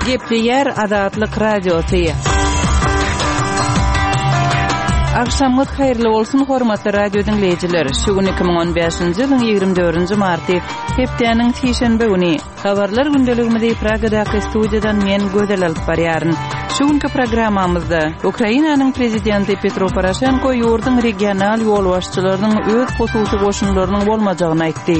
Gepleýär Azatlyk Radiosy. Agşamyňyz haýyrly bolsun, hormatly radio diňleýjiler! Şu gün 2015-nji ýylyň 24-nji marty, hepdäniň sişenbe güni. Habarlar gündeligimizi Pragadaky studiýadan men Gözel alyp barýaryn. Şu günki programmamyzda Ukrainanyň prezidenti Petro Poroşenko ýurduň regional ýolbaşçylarynyň öz hususy goşunlarynyň bolmajagyny aýtdy.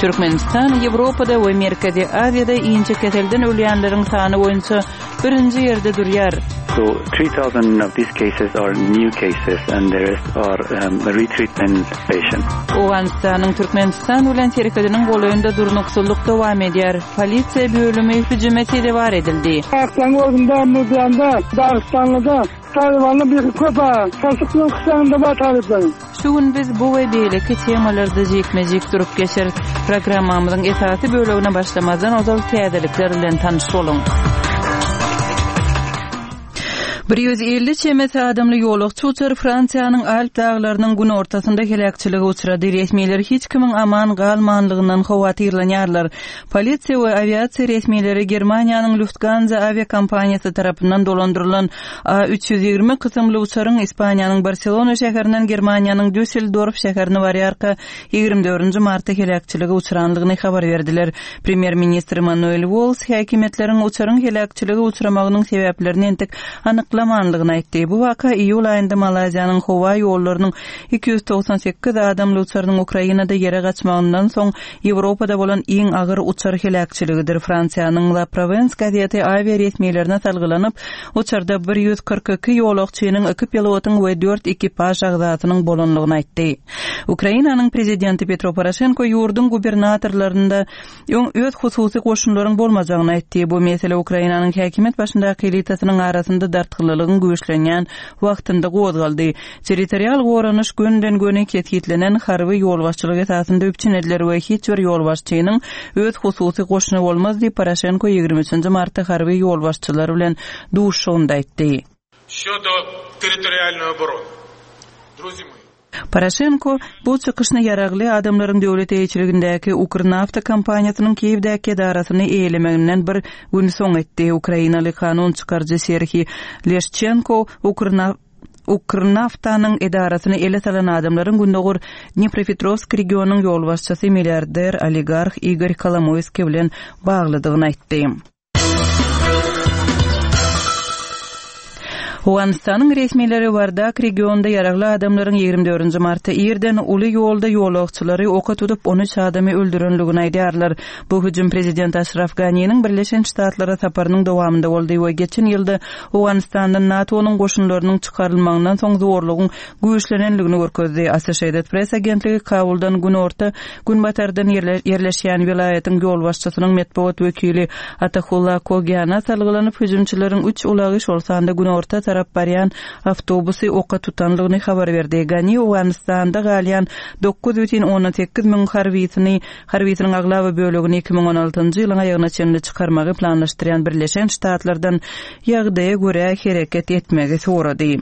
Türkmenistan Ýewropada we Merkezi Aziýada inçekeselden ölýänleriň sany boýunça birinji ýerde durýar. So 3000 of these cases are new cases and the rest are um, retreatment patients. Owganystanyň Türkmenistan bilen serhediniň golaýynda durnuksyzlyk dowam edýär. Polisiýa bölümi hüjüme sezewar edildi. Aklaň özünde, Mudanda, Dagystanlyda Talybanly bir köp a. Şaşyk bilen kysagynda bar talyplaryň. Şu gün biz bu we beýleki temalarda jikme-jik durup geçeris. Programmamyzyň esasy bölegine başlamazdan ozal täzelikler bilen tanyş boluň. 150 çemesi adamly ýolagçy uçar Fransiýanyň Alp daglarynyň günortasynda heläkçilige uçrady. Resmiler hiç kimiň aman galmanlygyndan howatyrlanýarlar. Polisiýa we awiasiýa resmileri Germaniýanyň Lufthansa awiakompaniýasy tarapyndan dolandyrylan A 320 kysymly uçaryň Ispaniýanyň Barselona şäherinden Germaniýanyň Düsseldorf şäherine barýarka, 24 martda heläkçilige uçrandygyny habar berdiler. Premýer-ministr Manuel Walls häkimiýetleriň uçaryň heläkçilige uçramagynyň sebäplerini entek anyklamandygyny aýtdy. Bu waka iýul aýynda Malaýziýanyň howa ýollarynyň 298 adamly uçarynyň Ukrainada ýere gaçmagyndan soň Ýewropada bolan iň agyr uçar heläkçiligidir. Fransiýanyň La Provence gazeti awia resmilerine salgylanyp, uçarda 142 ýolagçynyň, iki pilotyň we dört ekipaž agzasynyň bolandygyny aýtdy. Ukrainanyň prezidenti Petro Poroşenko ýurduň gubernatorlarynda öň öz hususy goşunlaryň bolmajagyny aýtdy. Bu mesele Ukrainanyň häkimiýet başyndaky elitasynyň arasynda dartgynlylygyň güýçlenýän wagtynda gozgaldy. Territorial goranyş gönüden-göni kesgitlenen harby ýolbaşçylyk esasynda üpjün ediler we hiç bir ýolbaşçynyň öz hususy goşuny bolmaz diýip, Poroşenko 23 nji martda harby ýolbaşçylar bilen duşuşygynda aýtdy. Şodo territorialnoý oborony. Druzi moi. Poroşenko bu çykyşyny ýaragly adamlaryň döwlet eýeçiligindäki Ukrnafta kompaniýasynyň Kiýewdäki edarasyny eýelemeginden bir gün soň etdi. Ukrainaly kanun çykaryjy Serhiý Leşçenko Ukrnaftanyň edarasyny ele salan adamlaryň gündogar Dnepropetrowsk regionynyň ýolbaşçysy milliarder oligarh Igor Kolomoýskiý bilen baglydygyny aýtdy. Owganystanyň resmileri Wardak regionynda ýaragly adamlaryň 24 martda irden uly ýolda ýolagçylary oka tutup, 13 adamy öldürenligini aýdýarlar. Bu hüjüm prezident Aşraf Ganiniň Birleşen Ştatlara saparynyň dowamynda boldy we geçen ýylda Owganystandan NATO-nyň goşunlarynyň çykarylmagyndan soň zorlugyň güýçlenenligini görkezdi. Associated Press agentligi Kabuldan günorta günbatardan ýerleşýän welaýatyň ýolbaşçysynyň metbugat wekili Atahulla Kogiana salgylanyp, hüjümçileriň üç ulagy, şol sanda günorta tarap barýan awtobusy oka tutanlygyny habar berdi. Gani Owganystanda galýan 9,8 müň harbysyny Harbysynyň aglaba bölegini 2016-njy ýylyň aýagyna çenli çykarmagy planlaşdyrýan Birleşen Ştatlardan ýagdaýa görä hereket etmegi sorady.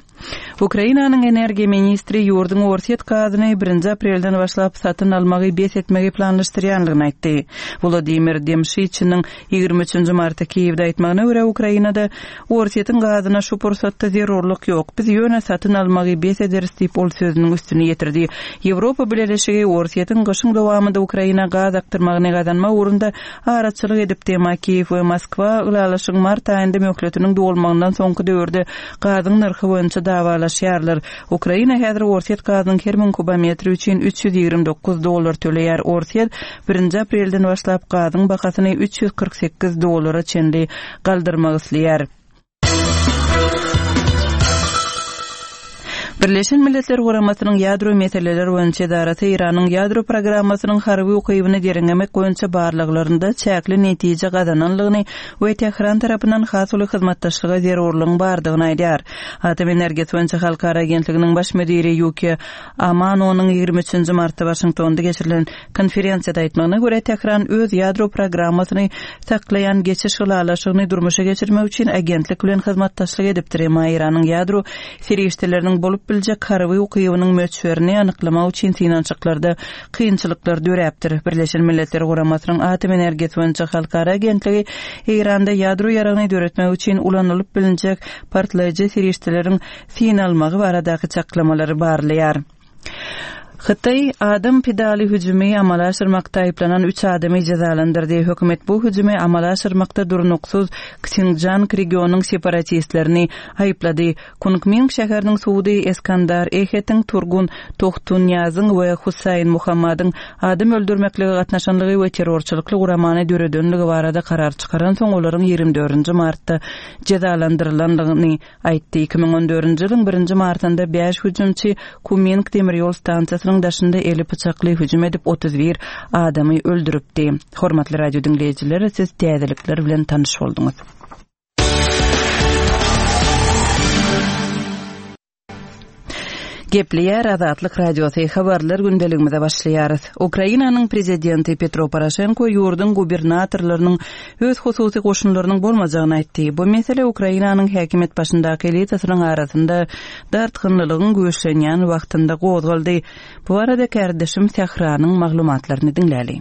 Ukrainanyň energiýa ministri ýurduň orsýet gazyny birinji aprelden başlap satyn almagy bes etmegi planlaşdyrýandygyny aýtdy. Wladimir Demşiçiniň 23 nji martda Kiýewde aýtmagyna görä, Ukrainada Orsýetiň gazyna şu pursatda zerurlyk ýok. Biz ýöne satyn almagy bes ederis diýip, ol sözüniň üstüni ýetirdi. Ýewropa Bileleşigi Orsýetiň gyşyň dowamynda Ukraina gaz akdyrmagyny gazanmak ugrunda araçylyk edipdi, emma Kiýew we Moskwa ylalaşygyň mart aýynda möhletiniň dolmagyndan soňky döwürde gazyň nyrhy boýunça dawalaşýarlar. Ukraina häzir orsýet gazynyň her müň kubometri üçin 329 dollar töleýär. Orsýet birinji aprelden başlap gazyň bahasyny 348 dollara çenli galdyrmak isleýär. Birleşen Milletler Guramasynyň Ýadro meseleleri boýunça edarasy Eýranyň ýadro programmasynyň harby ukybyny derňemek boýunça barlaglarynda çäkli netije gazananlygyny we Tähran tarapyndan has uly hyzmatdaşlyga zerurlygyň bardygyny aýdýar. Atom energiýasy boýunça halkara agentliginiň baş müdiri Ýukiýa Amanonyň 23 martda Waşingtonda geçirilen Konferensiýada aýtmagyna görä, Tähran öz ýadro programmasyny saklaýan geçiş ylalaşygyny durmuşa geçirmek üçin agentlik bilen hyzmatdaşlyk edipdir, emma Eýranyň ýadro serişdeleriniň bolup. biljek harby ukybynyň möçberini anyklamak üçin synanyşyklarda kynçylyklar döräpdir. Birleşen Milletler Guramasynyň Atom energiýasy boýunça halkara agentligi Eýranda ýadro ýaragyny döretmek üçin ulanylyp bilinjek partlaýjy serişdeleriň synalmagy baradaky çaklamalary barlaýar. Hytaý adam pidaly hüjümi amala aşyrmakda aýyplanan üç adamy jezalandyrdy. Hökümet bu hüjümi amala aşyrmakda durnuksyz Ksinjan regionyň separatistlerini aýyplady. Kunkming şäheriniň sudy Eskandar Ehetiň, Turgun Tohtunýazyň we Husaýn Muhammadyň adam öldürmeklige gatnaşanlygy we terrorçylykly guramany döredenligi barada karar çykaransoň olaryň ýigrimi dördünji martda jezalandyrylandygyny aýtdy. 2014-nji ýylyň birinji martynda bäş hüjümçi Kuming demir ýol stansiýasynyň daşynda eli pyçakly hüjüm edip 31 adamy öldüripdi. Hormatly radio diňleýjiler, siz täzelikler bilen tanyş bolduňyz. Gepleýär Azatlyk Radiosy, habarlar gündeligimize başlaýarys. Ukrainanyň prezidenti Petro Poroşenko ýurduň gubernatorlarynyň öz hususy goşunlarynyň bolmajagyny aýtdy. Bu mesele Ukrainanyň häkimiýet başyndaky elitasynyň arasynda dartgynlylygyň güýçlenýän wagtynda gozgaldy. Bu barada kärdeşim Sähranyň maglumatlaryny diňläli.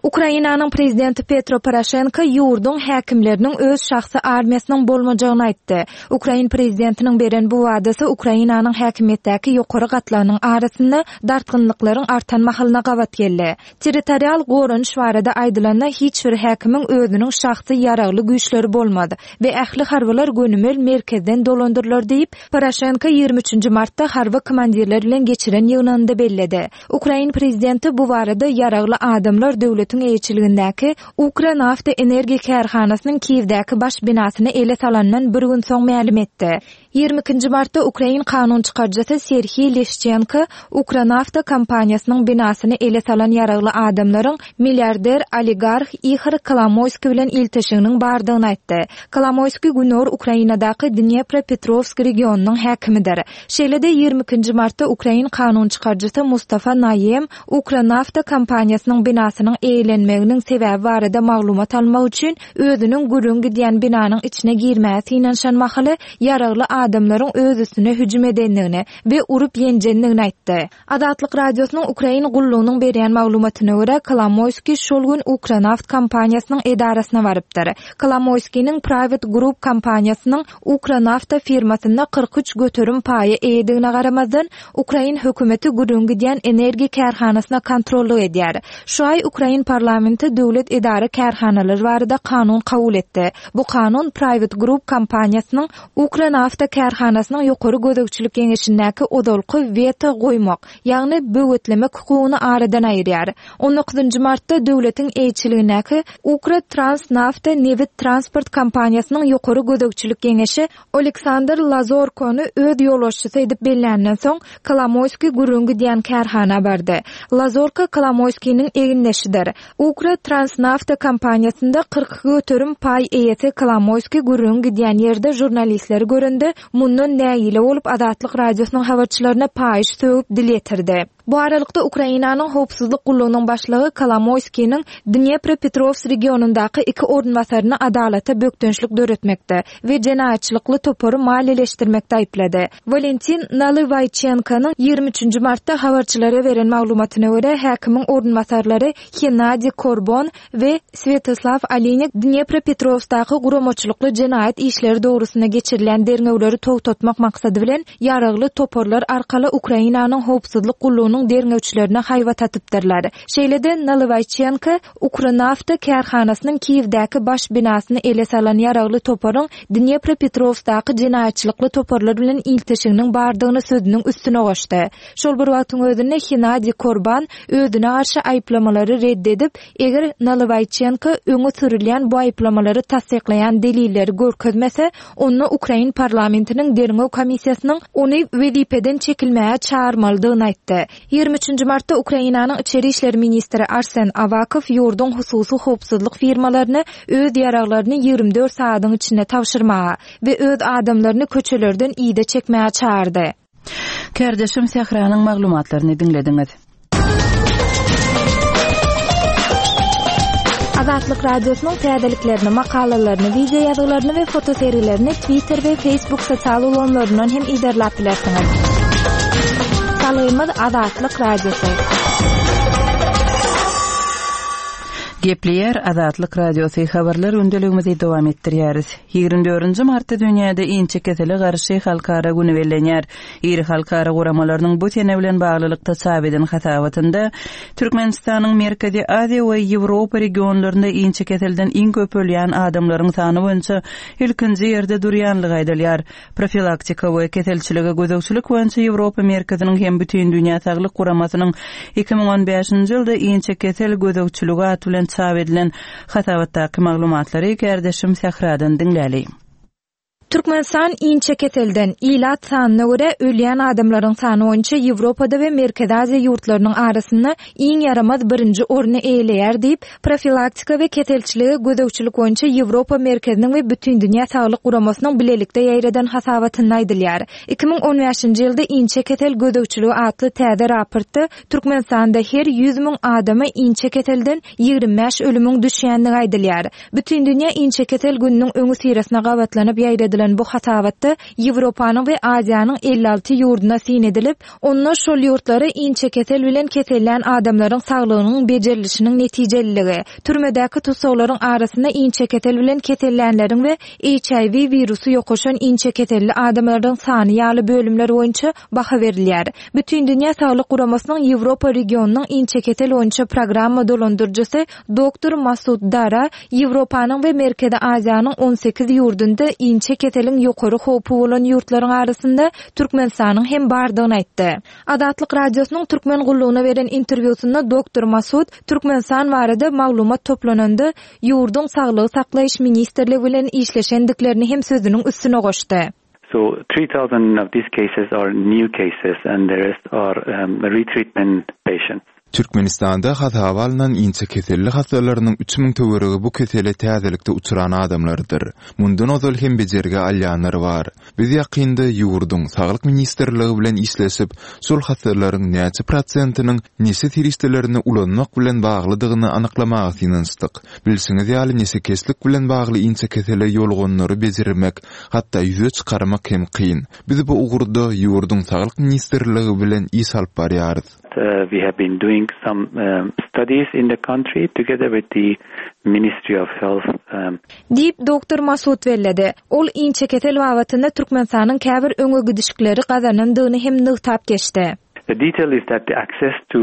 Ukrainanyň prezidenti Petro Poroşenko ýurduň häkimleriniň öz şahsy armiýasynyň bolmajagyny aýtdy. Ukrain prezidentiniň beren bu wadasy Ukrainanyň häkimiýetdäki ýokary gatlagynyň arasynda dartgynlyklaryň artan mahalyna gabat geldi. Territorial goranyş barada aýdylanda, hiç bir häkimiň özüniň şahsy ýaragly güýçleri bolmaz we ähli harbylar gönümel merkezden dolandyrylar diýip, Poroşenko ýigrimi üçünji martda harby komandirler bilen geçiren ýygnagynda belledi. Ukrain prezidenti bu barada ýaragly adamlar döwletiň eýeçiligindäki Ukranafta energiýa kärhanasynyň Kiýewdäki baş binasyny ele salandan bir gün soň mälim etdi. Ýigrimi ikinji martda ukrain kanun çykaryjysy Serhiý Leşçenko Ukranafta kompaniýasynyň binasyny ele salan ýaragly adamlaryň milliarder oligarh Ihor Kolomoýskiý bilen ilteşiginiň bardygyny aýtdy. Kolomoýskiý günorta Ukrainadaky Dnepropetrowsk regionynyň häkimidir. Şeýle-de, ýigrimi ikinji martda ukrain kanun çykaryjysy Mustafa Naýem Ukranafta kompaniýasynyň binasynyň eýelenmeginiň sebäbi barada maglumat almak üçin özüniň gürrüň gidýän binanyň içine girmäge synanyşan mahaly ýaragly adamlaryň öz üstüne hüjüm edendigini we urup-ýenjendigini aýtdy. Azatlyk Radiosynyň Ukrain gullugynyň berýän maglumatyna görä, Kolomoýskiý şol gün Ukranaft kompaniýasynyň edarasyna barypdyr. Kolomoýskiniň Private Group kompaniýasynyň Ukranafta firmasynda 43% paýa eýedigine garamazdan, ukrain hökümeti gürrüň gidýän energiýa kärhanasyna kontrollyk edýär. Şu aý ukrain parlamenti döwlet edara-kärhanalary barada kanun kabul etdi. Bu kanun Private Group kompaniýasynyň Ukranafta kärhanasynyň ýokary gözegçilik geňeşindäki ozalky weto goýmak, ýagny böwetlemek hukugyny aradan aýyrýar. On dokuzynjy martda döwletiň eýeçiligindäki Ukrotransnafta nebit transport kompaniýasynyň ýokary gözegçilik geňeşi Oleksandr Lazorkony öz ýolbaşçysy edip belländen soň, Kolomoýskiý gürrüň gidýän kärhana bardy. Lazorko Kolomoýskiniň egindeşidir. Ukrotransnafta kompaniýasynda 42% paý eýesi Kolomoýskiý gürrüňi gidýän ýerde žurnalistleri görende, mundan nägile bolup Azatlyk Radiosynyň habarçylaryna paýyş sögüp dil ýetirdi. Bu aralykda, Ukrainanyň Howpsuzlyk gullugynyň başlygy Kolomoýskiniň Dnepropetrowsk regionyndaky iki orunbasaryny adalata bökdençlik döretmekde we jenaýatçylykly topary maliýeleşdirmekde aýyplady. Walentin Nalywaýçenkonyň ýigrimi üçünji martda habarçylara beren maglumatyna görä, häkimiň orunbasarlary Hennadiý Korbon we Swetoslaw Olinik Dnepropetrowskdaky guramaçylykly jenaýat işleri dogrusynda geçirilýän derňewleri togtatmak maksady bilen, ýaragly toparlar arkaly Ukrainanyň howpsuzlyk gullugynyň derňewçilerine haýbat atypdyrlar. Şeýle-de, Nalywaýçenko Ukranafta kärhanasynyň Kiýewdäki baş binasyny ele salan ýaragly toparyň Dnepropetrowskdaky jenaýatçylykly toparlar bilen ilteşiginiň bardygyny sözüniň üstüne goşdy. Şol bir wagtyň özünde Hennadiý Korban özüne garşy aýyplamalary red edip, eger Nalywaýçenko öňe sürülýän bu aýyplamalary tassyklaýan delilleri görkezmese, onda ukrain parlamentiniň derňew komissiýasynyň ony wezipeden çekilmäge çagyrmalydygyny aýtdy. Ýigrimi üçünji martda Ukrainanyň içeri işler ministri Arsen Awakow ýurduň hususy howpsuzlyk firmalaryny öz ýaraglaryny 24 sagadyň içinde tabşyrmaga we öz adamlaryny köçelerden yza çekmäge çagyrdy. Kärdeşim Sähranyň maglumatlaryny diňlediňiz. Azatlyk Radiosynyň täzeliklerini, makalalaryny, wideo ýazgylaryny we fotosergilerini Twitter we Facebook sosial ulgamlaryndan hem yzarlap bilersiňiz. Salgymyz Azatlyk Radiosy. Gepleýär Azatlyk Radiosy habarlar gündeligimizi dowam etdirýäris. 24-nji martda dünýäde inçekesele garşy halkara güni bellenýär. Iri halkara guramalarynyň bu sene bilen baglylykda çap eden hasabatynda Türkmenistanyň Merkezi Aziýa we Ýewropa regionlarynda inçekeselden iň köp ölýän adamlaryň sany boýunça ilkinji ýerde durýanlygy aýdylýar. Profilaktika we keselçilige gözegçilik boýunça Ýewropa merkeziniň hem Bütindünýä saglyk guramasynyň 2015-nji ýylda Inçekesel gözegçiligi at bilen çap edilen hasabatdaky maglumatlary kärdeşim Sähradan diňläli. Türkmenistan inçekeselden, ilat sanyna görä, ölýän adamlaryň sany boýunça Ýewropada we Merkezi Aziýa ýurtlarynyň arasynda iň ýaramaz birinji orny eýeleýär diýip, Profilaktika we keselçilige gözegçilik boýunça Ýewropa merkeziniň we Bütindünýä saglyk guramasynyň bilelikde ýaýradan hasabatynda aýdylýar. 2015-nji ýylda Inçekesel gözegçiligi atly täze raportda Türkmenistanda her 100 müň adama inçekeselden 25 ölümiň düşýändigi aýdylýar. Bütindünýä inçekesel gününiň öňüsyrasyna gabatlanyp ýaýradylan bu hasabatda Ýewropanyň we Aziýanyň 56 ýurduna syn edilip, Onda şol ýurtlara inçekesel bilen kesellän adamlaryň saglygynyň bejerilişiniň netijeliligi, türmedäki tussaglaryň arasynda inçekesel bilen kesellänleriň we HIV wirusy ýokaşan inçekeselli adamlaryň sany ýaly bölümler boýunça baha berilýär. Bütindünýä Saglyk Guramasynyň Ýewropa regionynyň inçekesel boýunça programma dolandyryjysy Doktor Masud Dara Ýewropanyň we Merkezi Aziýanyň 18 ýurdunda inçe keseliň ýokary howpy bolan ýurtlaryň arasynda Türkmenistanyň hem bardygyny aýtdy. Azatlyk Radiosynyň Türkmen gullugyna beren interwýusynda doktor Masud Türkmenistan barada maglumat toplananda ýurduň Saglygy saklaýyş ministrligi bilen işleşendiklerini hem sözüniň üstüne goşdy. So 3000 of these cases are new cases and the rest are um, retreatment patients. Türkmenistanda hasaba alnan inçekeselli hassalarynyň 3000 töweregi bu kesele täzelikde uçran adamlardyr. Mundan ozal hem bejergi alýanlar bar. Biz ýakynda ýurduň Saglyk ministrligi bilen işleşip, şol hassalaryň näçe prosentiniň neşe serişdelerini ulanmak bilen baglydygyny anyklamaga synanyşdyk. Bilşiňiz ýaly, neşekeşlik bilen bagly inçekesele ýoluganlary bejermek, hatda ýüze çykarmak hem kyn. Biz bu ugurda ýurduň Saglyk ministrligi bilen iş alyp barýarys. We have been doing some studies in the country together with the Ministry of Health. Diýip, doktor Masud belledi. Ol inçekesel babatynda Türkmenistanyň käbir öňe gidişikleri gazanandygyny hem nygtap geçdi. The detail is that the access to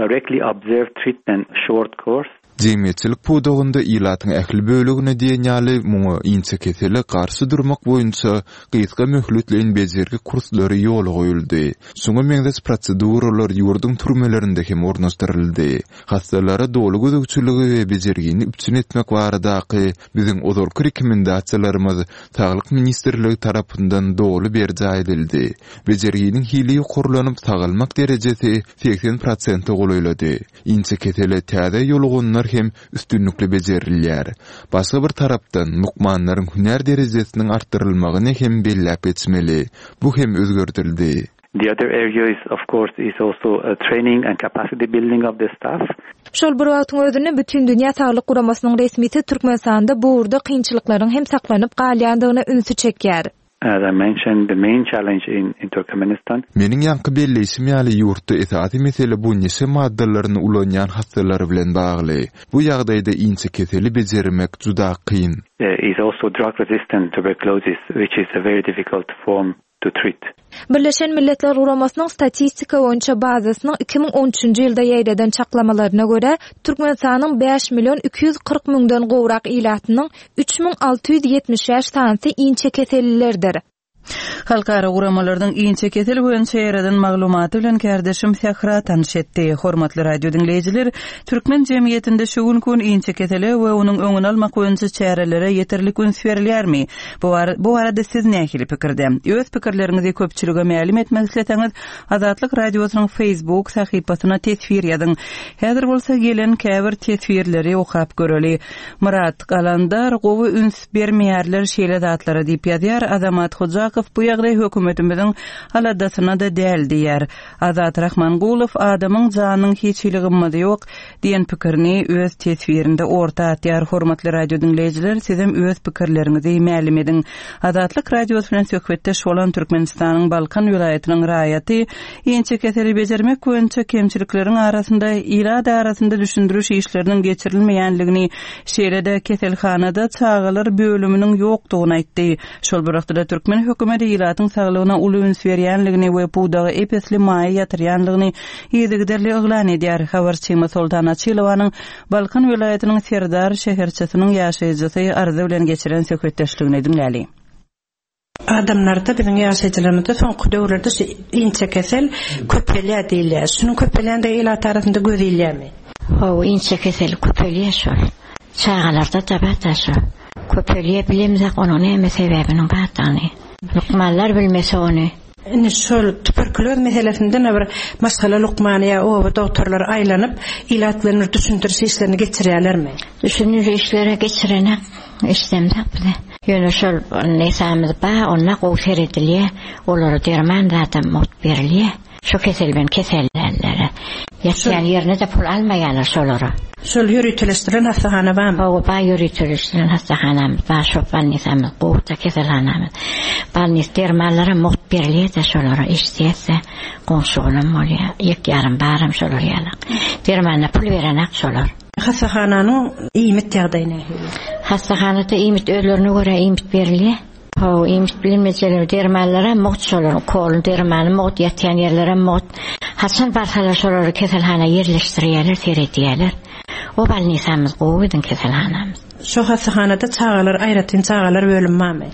directly observed treatment short course. Jemgyýetçilik pudagynda ilatyň ähli bölegine diýen ýaly muňa inçekesele garşy durmak boýunça gysga möhletleýin bejergi kurslary ýola goýuldy. Şuňa meňzeş proseduralar ýurduň türmelerinde hem ornaşdyryldy. Hassalara doly gözegçiligi we bejergini üpjün etmek baradaky biziň ozalky rekomendasiýalarymyz Saglyk ministrligi tarapyndan doly berjaý edildi. Bejerginiň hili ýokarlanyp, sagalmak derejesi 80 prosente golaýlady. Inçekesele täze ýoluganlar hem üstünlikli bejerilýär. Başga bir tarapdan, lukmanlaryň hünär derejesiniň artdyrylmagyny hem belläp geçmeli. Bu hem özgerdildi. The other area is of course is also training and capacity building of the staff. Şol bir wagtyň özünde Bütindünýä Saglyk Guramasynyň resmisi Türkmenistanda bu ugurda kynçylyklaryň hem saklanyp galýandygyna ünsi çekýär. As I mentioned, the main challenge in in Turkmenistan. Meniň ýaňky belleýşim ýaly ýurtda esasy mesele bu neşe maddalaryny ulanýan hassalar bilen bagly. Bu ýagdaýda inçekeseli bejermek juda kyn. Is also drug resistant tuberculosis which is a very difficult form to treat. Birleşen Milletler Guramasynyň statistika boýunça bazasynyň 2013-nji ýylda ýaýradan çaklamalaryna görä, Türkmenistanyň 5 million 240 müňden gowrak ilatynyň 3675 sanysy inçekesellilerdir. Halkara guramalarynyň inçekesel boýunça ýaýradan maglumaty bilen kärdeşim Sähra tanyş etdi. Hormatly radio diňleýjiler, türkmen jemgyýetinde şu günki gün inçekesele we onuň öňüni almak boýunça çärelere ýeterlik üns berilýärmi? Bu bu barada siz nähili pikirde? Öz pikirleriňizi köpçülige mälim etmek isleseňiz, Azatlyk Radiosynyň Facebook sahypasyna teswir ýazyň. Häzir bolsa gelen käbir teswirleri okap göreli. Myrat Galandar gowy üns bermeýärler şeýle zatlara diýip ýazýar Azamat Hojakow. Sadykow bu ýagdaý hökümetimiziň aladasyna-da däl diýýär. Azat Rahmangulow adamyň janynyň hiç hili gymmaty ýok diýen pikirini öz teswirinde orta atýar. Hormatly radio diňleýjiler, sizem öz pikirleriňizi mälim ediň. Azatlyk Radiosy bilen söhbetdeş bolan Türkmenistanyň Balkan welaýatynyň raýaty inçekeseli bejermek boýunça kemçilikleriň arasynda ilat arasynda düşündiriş işleriniň geçirilmeýänligini, şeýle-de keselhanada çagalar bölüminiň ýokdugyny aýtdy. Şol bir wagtda-da türkmen hökümeti ilatyň saglygyna uly üns berýänligini we pudaga ep-esli maýa ýatyrýanlygyny yzygiderli yglan edýär. Habarçymyz Soltan Açylowanyň Balkan welaýatynyň Serdar şäherçesiniň ýaşaýjysy Arzy bilen geçiren söhbetdeşligini diňläli. Adamlarda, biziň ýaşaýjylarymyzda soňky döwürlerde şu inçekesel köpelýär diýilýär. Şunuň köpelýändigi ilat arasynda göz ilýärmi? Hawa, inçekesel köpelýär şol. Çagalarda-da bar-da şo. Köpelýär, bilemzok onuň näme sebäbiniň bardygyny. Lukmanlar bilmese ony. Indi şol tuberkuloz meselesinde bir maşgala lukmany ýa oba dogtorlary aýlanyp, ilat bilen bir düşündiriş işlerini geçirýärlermi? Düşündiriş işleri geçirenek, eşidemzok bize. Ýöne şol nesamyz bar, onda gowy seredilýär. Olara derman zadam mugt berilýär. Şu kesel bilen kesellänlere. Ýatýan ýerine-de pul almaýarlar şolara. Şol ýöriteleşdirilen hassahana barmy? Hawa, bar ýöriteleşdirilen hassahanamyz bar, şo bolnisamyz gowy-da keselhanamyz. Bolnis dermanlaram mugt berilýär-de şolara, eşidýäs-de, goňşy-golam bolýar, ýek-ýarym baram şolar ýalak. Dermanyna pul berenak şolar. Hassahananyň iýmit ýagdaýy nähili? Hassahanada iýmit özlerine görä iýmit berilýär. Hawa, iýmit bilinmejeler, dermanlaram mugt şolaryň, ukolyny, dermany mugt, ýatýan ýerlerem mugt. Haçan barsalar şolary keselhana ýerleşdirýärler, seredýärler. O bolnisamyz gowy biziň keselhanamyz. Şo hassahanada çagalar aýratyn çagalar bölümi barmy?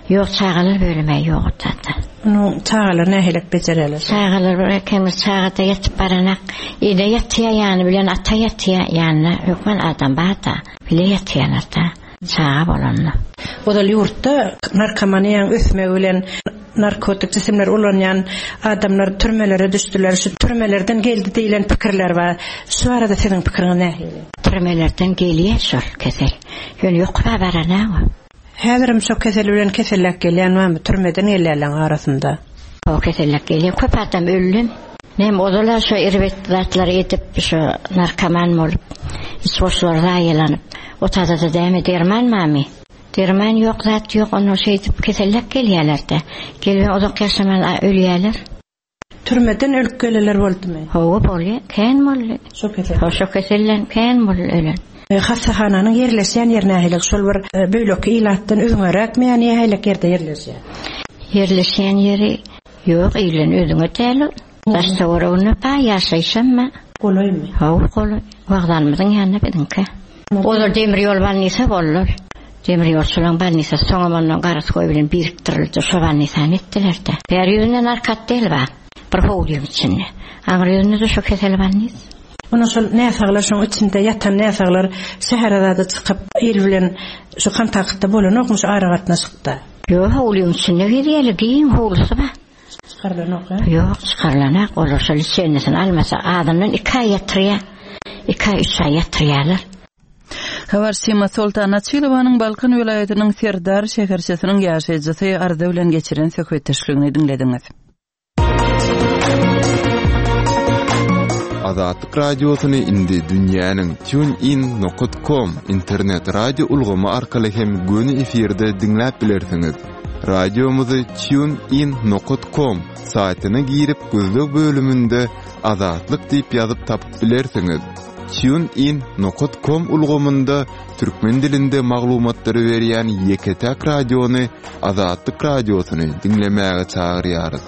Ýok, çagalar bölümi ýok o taýda. Onuň çagalary nähilek bejerýärler? Çagalar bir ekemiz çagada ýatyp baranak, ene ýatýar ýany bilen ata ýatýar, ýanynda hökman adam bar-da, bile ýatýarlar-da. Çaga bolanda. Ozal ýurtda narkomaniýanyň ösmegi bilen narkotik jisimleri ulanýan adamlar türmelere düşdüler, şu türmelerden geldi diýlen pikirler bar. Şu barada siziň pikiriňiz nähili? Türmelerden gelýär şol kesel. Ýöne ýokura baranag-a. Häzirem şo kesel bilen keselläp gelýän barmy türmeden gelýänleň arasynda? Hawa keselläp gelýär. Köp adam öldem. Näme ozal-a şo erbet zatlary edip şo narkoman bolup iç goşlary zaýalanyp otadada däme derman bamy? Derman ýok zat ýok onda şeýdip keselläp gelýälerde. Gelibem uzak ýaşaman ölýäler. Türmeden ölüp gelenler boldumy? Hawa bolýa kän boldy. Şo kesel. Hawa şo keselden kän boldy ölen. Hassahananyň ýerleşýän ýeri nähili? Şol bir beýleki ilatdan üzňeräkmi ýa nähili ýerde ýerleşýär? Ýerleşýän ýeri ýok ilden özüňe däl ol. Daş töwereginde bar ýaşaýşam bar. Golaýmy? Hawa golaý. Wokzalymyzyň ýanynda biziňki. Ozal demir ýol bolnisa boldy. Demir ýolçularyň bolnisasy soňam ondan garaskoý bilen birikdirildi. Şo bolnisany etdiler-de. Bäri ýüzünde narkotdel bar. Bir howlyň içinde. Aňry ýüzünde-de şo kesel bolnis. Onda şol näsaglar şoň içinde ýatan näsaglar şähere zada çykyp il bilen şu kontaktda bolanokmy şu aragatnaşykda? Ýok howlyň içinde gezýärler giň howlusy bar. Çykarylanok hä? Ýok çykarylanak olar şo liçennisini almasa azyndan iki aý ýatyrýar. Iki aý üç aý ýatyrýarlar. Habarçymyz Soltan Açylowanyň Balkan welaýatynyň Serdar şäherçesiniň ýaşaýjysy Arza bilen geçiren söhbetdeşligini diňlediňiz. Azatlyk Radiosyny indi dünýäniň TuneIn nokat com internet radio ulgamy arkaly hem göni efirde diňläp bilersiňiz. Radiomyzy TuneIn nokat com saýtyna girip gözleg bölüminde Azatlyk diýip ýazyp tapyp bilersiňiz. TuneIn nokat com ulgamynda türkmen dilinde maglumatlary berýän ýeke-täk radiony Azatlyk Radiosyny diňlemäge çagyrýarys.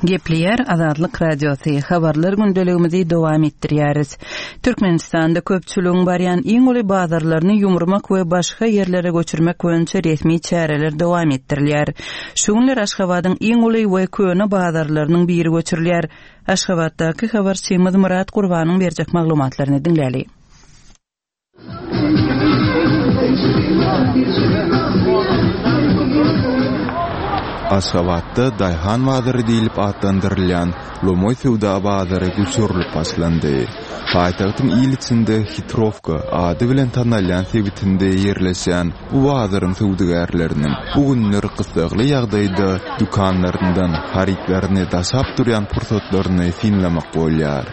Gepleýär Azatlyk Radiosy, Habarlar gündeligimizi dowam etdirýäris. Türkmenistanda köpçüligiň barýan iň uly bazarlaryny ýumurmak we başga ýerlere göçürmek boýunça resmi çäreler dowam etdirilýär. Şu günler Aşgabadyň iň uly we köne bazarlarynyň biri göçürilýär. Aşgabatdaky habarçymyz Myrat Gurbanyň berjek maglumatlaryny diňläli. Aşgabatda Daýhan bazary diýlip atlandyrylýan lomaý söwda bazary göçürilip başlandy. Paýtagtyň il içinde Hitrowka ady bilen tanalýan sebitinde ýerleşýän bu bazaryň söwdagärleriniň bu günler gyssagly ýagdaýda dükanlaryndan harytlaryny daşap durýan pursatlaryny synlamak bolýar.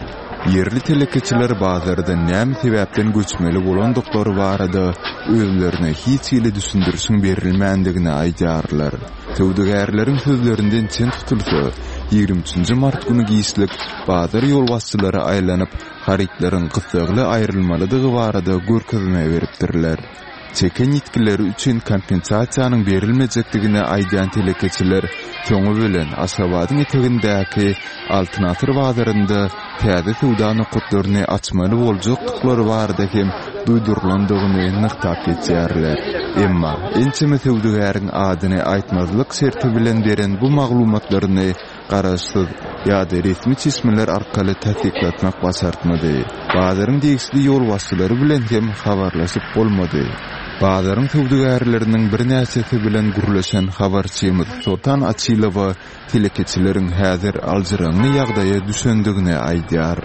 Ýerli telekeçiler bazardan näme sebäpden göçmeli bolandyklary barada özlerine hiç hili düşündirişiň berilmändigini aýdýarlar. Söwdagärleriň sözlerinden çen tutulsa, 23 nji mart güni giçlik bazar ýolbaşçylary aýlanyp, harytlaryň gyssagly aýrylmalydygy barada görkezme beripdirler. Çeken ýitgileri üçin kompensasiýanyň berilmejekdigini aýdýan telekeçiler soňy bilen Aşgabadyň etegindäki Altyn asyr bazarynda täze söwda nokatlaryny açmaly boljakdyklary barada hem duýdurylandygyny nygtap geçýärler. Emma ençeme söwdagäriň adyny aýtmazlyk şerti bilen beren bu maglumatlaryny garaşsyz ýa-da resmi çeşmeler arkaly tassyklatmak başartmady. Bazaryň degişli ýolbaşçylary bilen hem habarlaşyp bolmady. Bazaryň söwdagärleriniň birnäçesi bilen gürleşen habarçymyz Soltan Açylowa telekeçileriň häzir aljyraňňy ýagdaýa düşendigini aýdýar.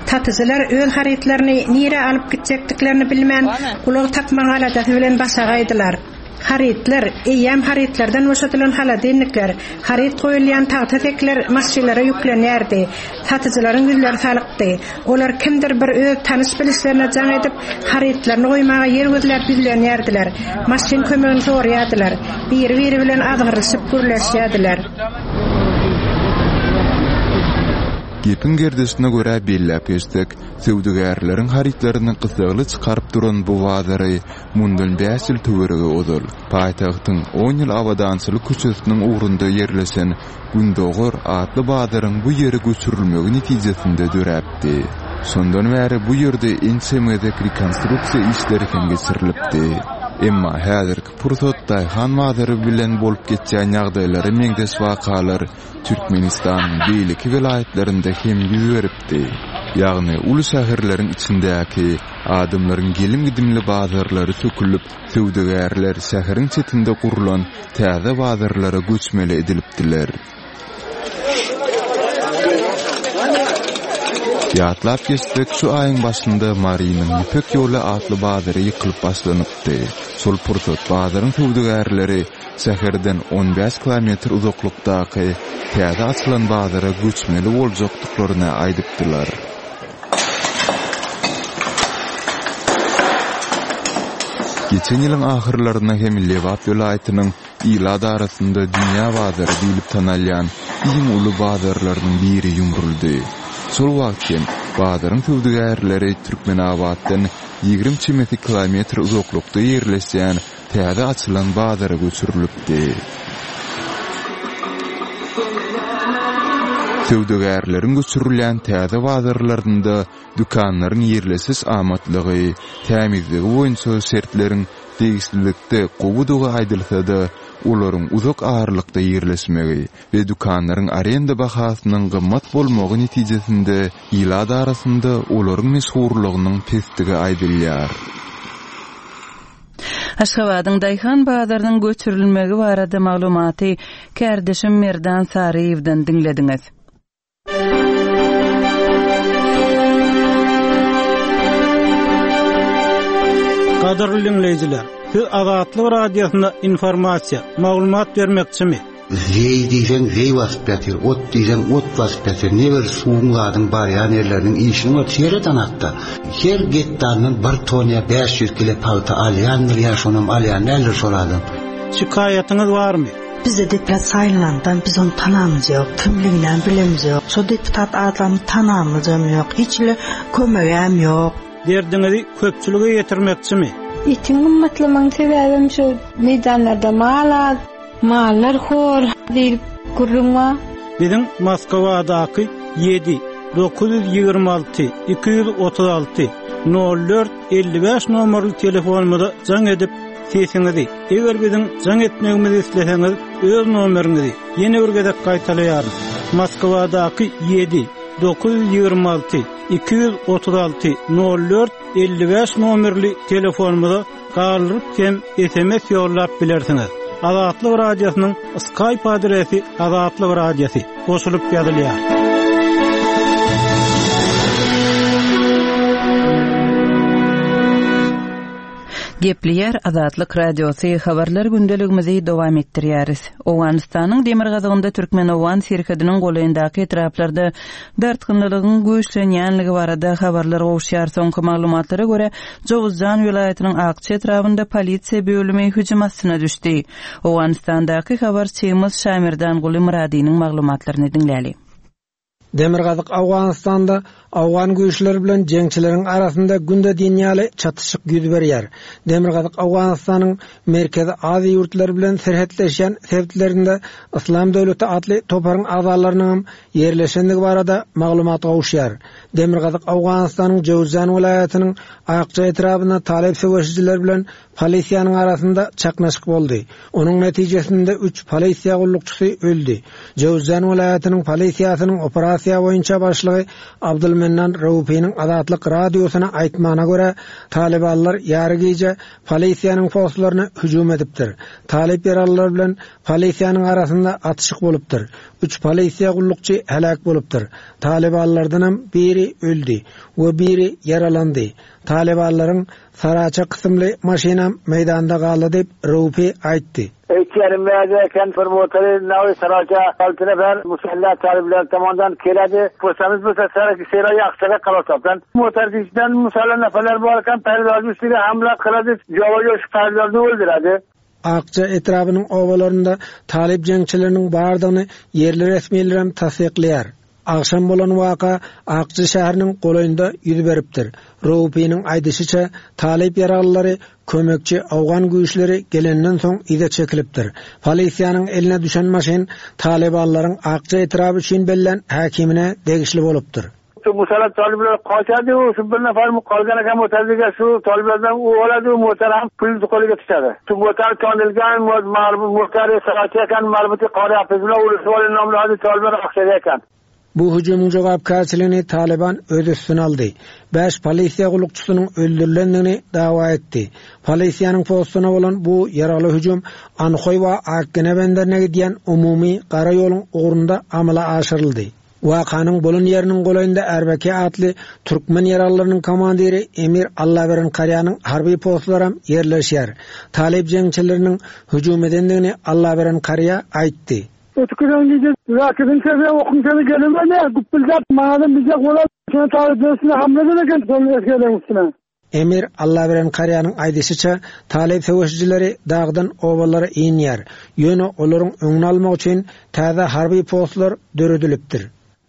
Satyjylar öz harytlaryny nirä alyp gitjekdiklerini bilmän, ulag tapmagyň aladasy bilen başagaýdylar. Harytlar, eýýäm harytlardan boşadylan holodilnikler, haryt goýulýan tagta sekiler maşynlara ýüklenýärdi. Satyjylaryň ýüzleri salykdy. Olar kimdir bir öz tanyş-bilişlerine jaň edip, harytlaryny goýmaga ýer gözläp ýüzlenýärdiler. Maşyn kömegini soraýardylar. Biri-biri bilen azgyrylyşyp gürleşýärdiler. Gepiň gerdişine görä belläp geçsek, söwdagärleriň harytlaryny gyssagly çykaryp duran bu bazary Mundan bäş ýyl töweregi ozal, paýtagtyň On ýyl abadançylyk köçesiniň ugrunda ýerleşen Gündogar atly bazaryň bu ýere göçürilmegi netijesinde döräpdi. Şondan bäri bu ýerde ençeme gezek rekonstruksiýa işleri hem geçirilipdi. Emma häzirki pursat daýhan bazary bilen bolup geçýän ýagdaýlara meňzeş wakalar Türkmenistanyň beýleki welaýatlarynda hem ýüz beripdi. Ýagny uly şäherleriň içindäki Adamlaryň gelim-gidimli bazarlary sökülip, söwdagärler şäheriň çetinde gurlan täze bazarlara göçmeli edilipdiler. Ýatlap geçsek, şu aýyň başynda Marynyň Ýüpek ýoly atly bazary ýykylyp başlanypdy. Şol pursat bazaryň söwdagärleri şäherden on bäş kilometr uzaklykdaky täze açylan bazara göçmeli boljakdyklaryny aýdypdylar. Geçen ýylyň ahyrlarynda hem Lebap welaýatynyň ilat arasynda dünýä bazary diýlip tanalýan iň uly bazarlarynyň biri ýumruldy. Şol wagt hem bazaryň söwdagärleri Türkmenabatdan 20 çemesi kilometr uzaklykda ýerleşýän täze açylan bazara göçürilipdi. Söwdagärleriň göçürilýän täze bazarlarynda dükanlaryň ýerleşiş amatlygy, tämizligi boýunça şertleriň degişlilikde gowudygy aýdylsa-da, olaryň uzak aralykda ýerleşmegi we dükanlaryň arenda bahasynyň gymmat bolmagy netijesinde ilat arasynda olaryň meşhurlygynyň pesdigi aýdylýar. Aşgabadyň daýhan bazarynyň göçürilmegi barada maglumaty kärdeşim Merdan Saryýewden diňlediňiz. Gadyrly diňleýjiler, siz Azatlyk Radiosyna informasiýa, maglumat bermekçimi? Zeý diýseň zeý basyp ýatyr, ot diýseň ot basyp ýatyr. Ne bir suwuň zadyň barýan ýerleriniň işini gör, seret anakda. Her gektaryndan bir ton ýa 500 kile pagta alýandyr ýa şonam alýan däldir şol adam. Şikaýatyňyz barmy? Bize deputat saýlanandan biz ony tanamyz ýok, kimliginem bilemiz ýok. Şo deputat adamy tanamyzam ýok, hiç hili kömegem ýok. Derdiňizi köpçülige ýetirmekçimi? Etiň gymmatlamagyň sebäbem şo meýdanlarda mal az. Mallar hor diýlip gürrüň bar. Biziň Moskwadaky ýedi, 926 236 04 55 nomerli telefonymyza jaň edip, sesiňizi, eger biziň jaň etmegimizi isleseňiz, öz nomeriňizi, ýene bir gezek gaýtalaýaryn, Moskwadaky ýedi, 926 236 04 55 nomerli telefonymyza galdyryp hem sms ýollap bilersiňiz. Azatlyk Radiosynyň Skype adresi Azatlyk Radiosy goşulyp ýazylýar. Gepleýär Azatlyk Radiosy, habarlar gündeligimizi dowam etdirýäris. Owganystanyň demirgazygynda türkmen-owgan serhediniň golaýyndaky etraplarda dartgynlylygyň güýçlenýänligi barada habarlar gowuşýar. Soňky maglumatlara görä, Jowuzjan welaýatynyň Akça etrabynda polisiýa bölümi hüjüm astyna düşdi. Owganystandaky habarçymyz Şamerdanguly Myradynyň maglumatlaryny diňläli. Demirgazyk Owganystanda owgan güýçleri bilen jeňçileriň arasynda günde diýen ýaly çatyşyk ýüz berýär. Demirgazyk Owganystanyň Merkezi Aziýa ýurtlary bilen serhetleşýän sebitlerinde Yslam döwleti atly toparyň agzalarynyňam ýerleşendigi barada maglumat gowuşýar. Demirgazyk Owganystanyň Jöwüzjan welaýatynyň Akja etrabynda talyp söweşijiler bilen Polisiýanyň arasynda çaknyşyk boldy. Onuň netijesinde üç polisiýa gullukçysy öldi. Jöwüzjan welaýatynyň polisiýasynyň operasiýa boýunça başlygy Abdulmennan Raufynyň Azatlyk Radiosyna aýtmagyna görä, talybanlar ýary gije polisiýanyň postlaryna hüjüm edipdir. Talyp ýaralylar bilen polisiýanyň arasynda atyşyk bolupdyr. Üç polisiýa gullukçy heläk bolupdyr. Talybanlardanam biri öldi we biri ýaralandy. Talybanlaryň Saraça kysymly maşynam meýdanda galdy diýip, Reupi aýtdy. Öýtýänim bärde eken bir motory nawy Saraça alty nefer musalla talyplar tomondan keledi. Pursamiz bo'lsa sara sera yaxshiroq qilasapdan. Motorni ichidan musalla nafarlar bor ekan pardozning ustiga hamla qiladi, jo'va shu pardozni o'ldiradi. Akja etrabynyň obalarynda talyp jeňçileriniň bardygyny ýerli resmilerem tassyklaýar. Agşam bolan waka Akja şäheriniň golaýynda ýüz beripdir. Raufynyň aýdyşyça, talyp ýaralylary kömekçi owgan güýçleri gelenden soň yza çekilipdir. Polisiýanyň eline düşen maşyn talybanlaryň Akja etraby üçin bellän häkimine degişli bolupdyr. Şu musallat talyplar gaçady, şu bir nafar qolgan ekan motorga shu toliblardan u oladi, motor ham pul qo'liga tushadi. Shu motor tonilgan, motor sarachi ekan, marbuti qori hafiz bilan urushib nomli toliblar o'xshaydi ekan. Bu hüjümiň jogapkärçiligini Talyban öz üstüne aldy. Bäş polisiýa gullukçysynyň öldürilendigini dawa etdi. Polisiýanyň postuna bolan bu ýaragly hüjüm Anhoý we Akgene benderine gidýän umumy gara ýoluň ugrunda amala aşyryldy. Wakanyň bolan ýeriniň golaýynda RBK atly türkmen ýaraglylarynyň komandiri Emir Allaberen Karýanyň harby postlaram ýerleşýär. Talyp jeňçileriniň hüjüm edendigini Allaberen Karýa aýtdy. Ötükiden gije Zakidiň sesi, okuň sesi gelemedi. Güpbüldäp maňadam bijek bolar. Şony talyplaryň üstüne hamla eden eken, şol esgerleriň üstüne. Emir Allaberen Karýanyň aýdyşyça, talyp söweşijileri dagdan obalara inýär. Ýöne olaryň öňüni almak üçin täze harby postlar döredilipdir.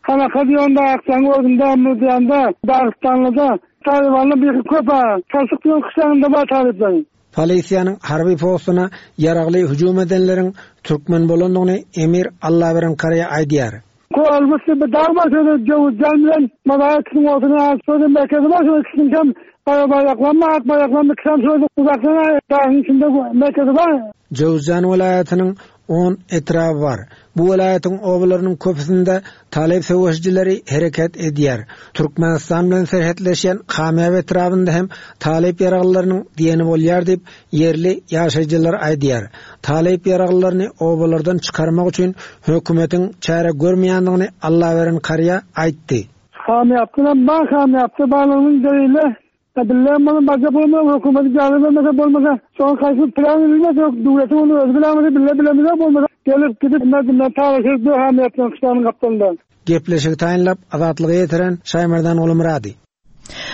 Hanaka diýende Akjaň özünde Mürdiýanda Dagystanlyda talybanlar biri köp-ä. Çalşyk diýen kyşlagynda bar talyplaryň. Polisiýanyň harby postuna ýaragly hüjüm edenleriň türkmen bolandygyny Emir Allaberen Karýa aýdýar. Kolbusly bir dag bar şo ýerde Jöwüzjan bilen Mazaý ikisiniň ortasyna şo ýerde merkezi bar şo ikisiniňkem gara baýdaklanma ak baýdaklanma ikisem şo ýerde uzakdan dagyň içinde merkezi bar. Jöwüzjan welaýatynyň on etraby bar. Bu welaýatyň obalarynyň köpüsinde talyp söweşijileri hereket edýär. Türkmenistan bilen serhetleşýän Kamýap etrabynda hem talyp ýaraglylarynyň diýeni bolýar diýip, Ýerli ýaşaýjylar aýdýar, talyp ýaraglylaryny obalardan çykarmak üçin hökümetiň çäre görmeýändigini Allaberen Karýa aýtdy. Hamýapdanam bar hamýapda barlygynyň delili bille muny barjak bolma hökümet ijazat bermese bolmasa şoň haýsy plan bilmez ýok döwletiň ony özi bilämese bille bilemizok bolmasa gelip gidip merdimler talaşyp dur hamýapdan kyşlagynyň gapdalynda. Gepleşigi taýynlap Azatlyga ýetiren Şaýmerdan Gulumyrady.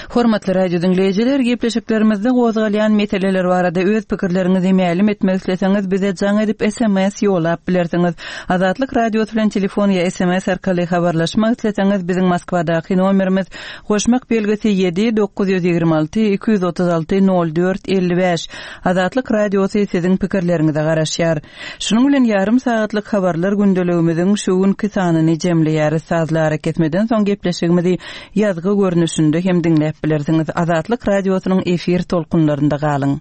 Hormatly radio diňleýjiler, gepleşiklerimizde gozgalýan meseleler barada öz pikirleriňizi mälim etmek isleseňiz, bize jaň edip sms ýollap bilersiňiz. Azatlyk Radiosy bilen telefon ýa sms arkaly habarlaşmak isleseňiz, biziň Moskwadaky nomerimiz goşmak belgisi ýedi 926 236 04 55. Azatlyk Radiosy siziň pikirleriňize garaşýar. Şunuň bilen ýarym sagatlyk habarlar gündeligimiziň şu günki sanyny jemleýäris. Sazly arakesmeden soň gepleşigimizi ýazgy görnüşinde hem diňläp bilersiňiz. Azatlyk Radiosynyň efir tolkunlarynda galyň!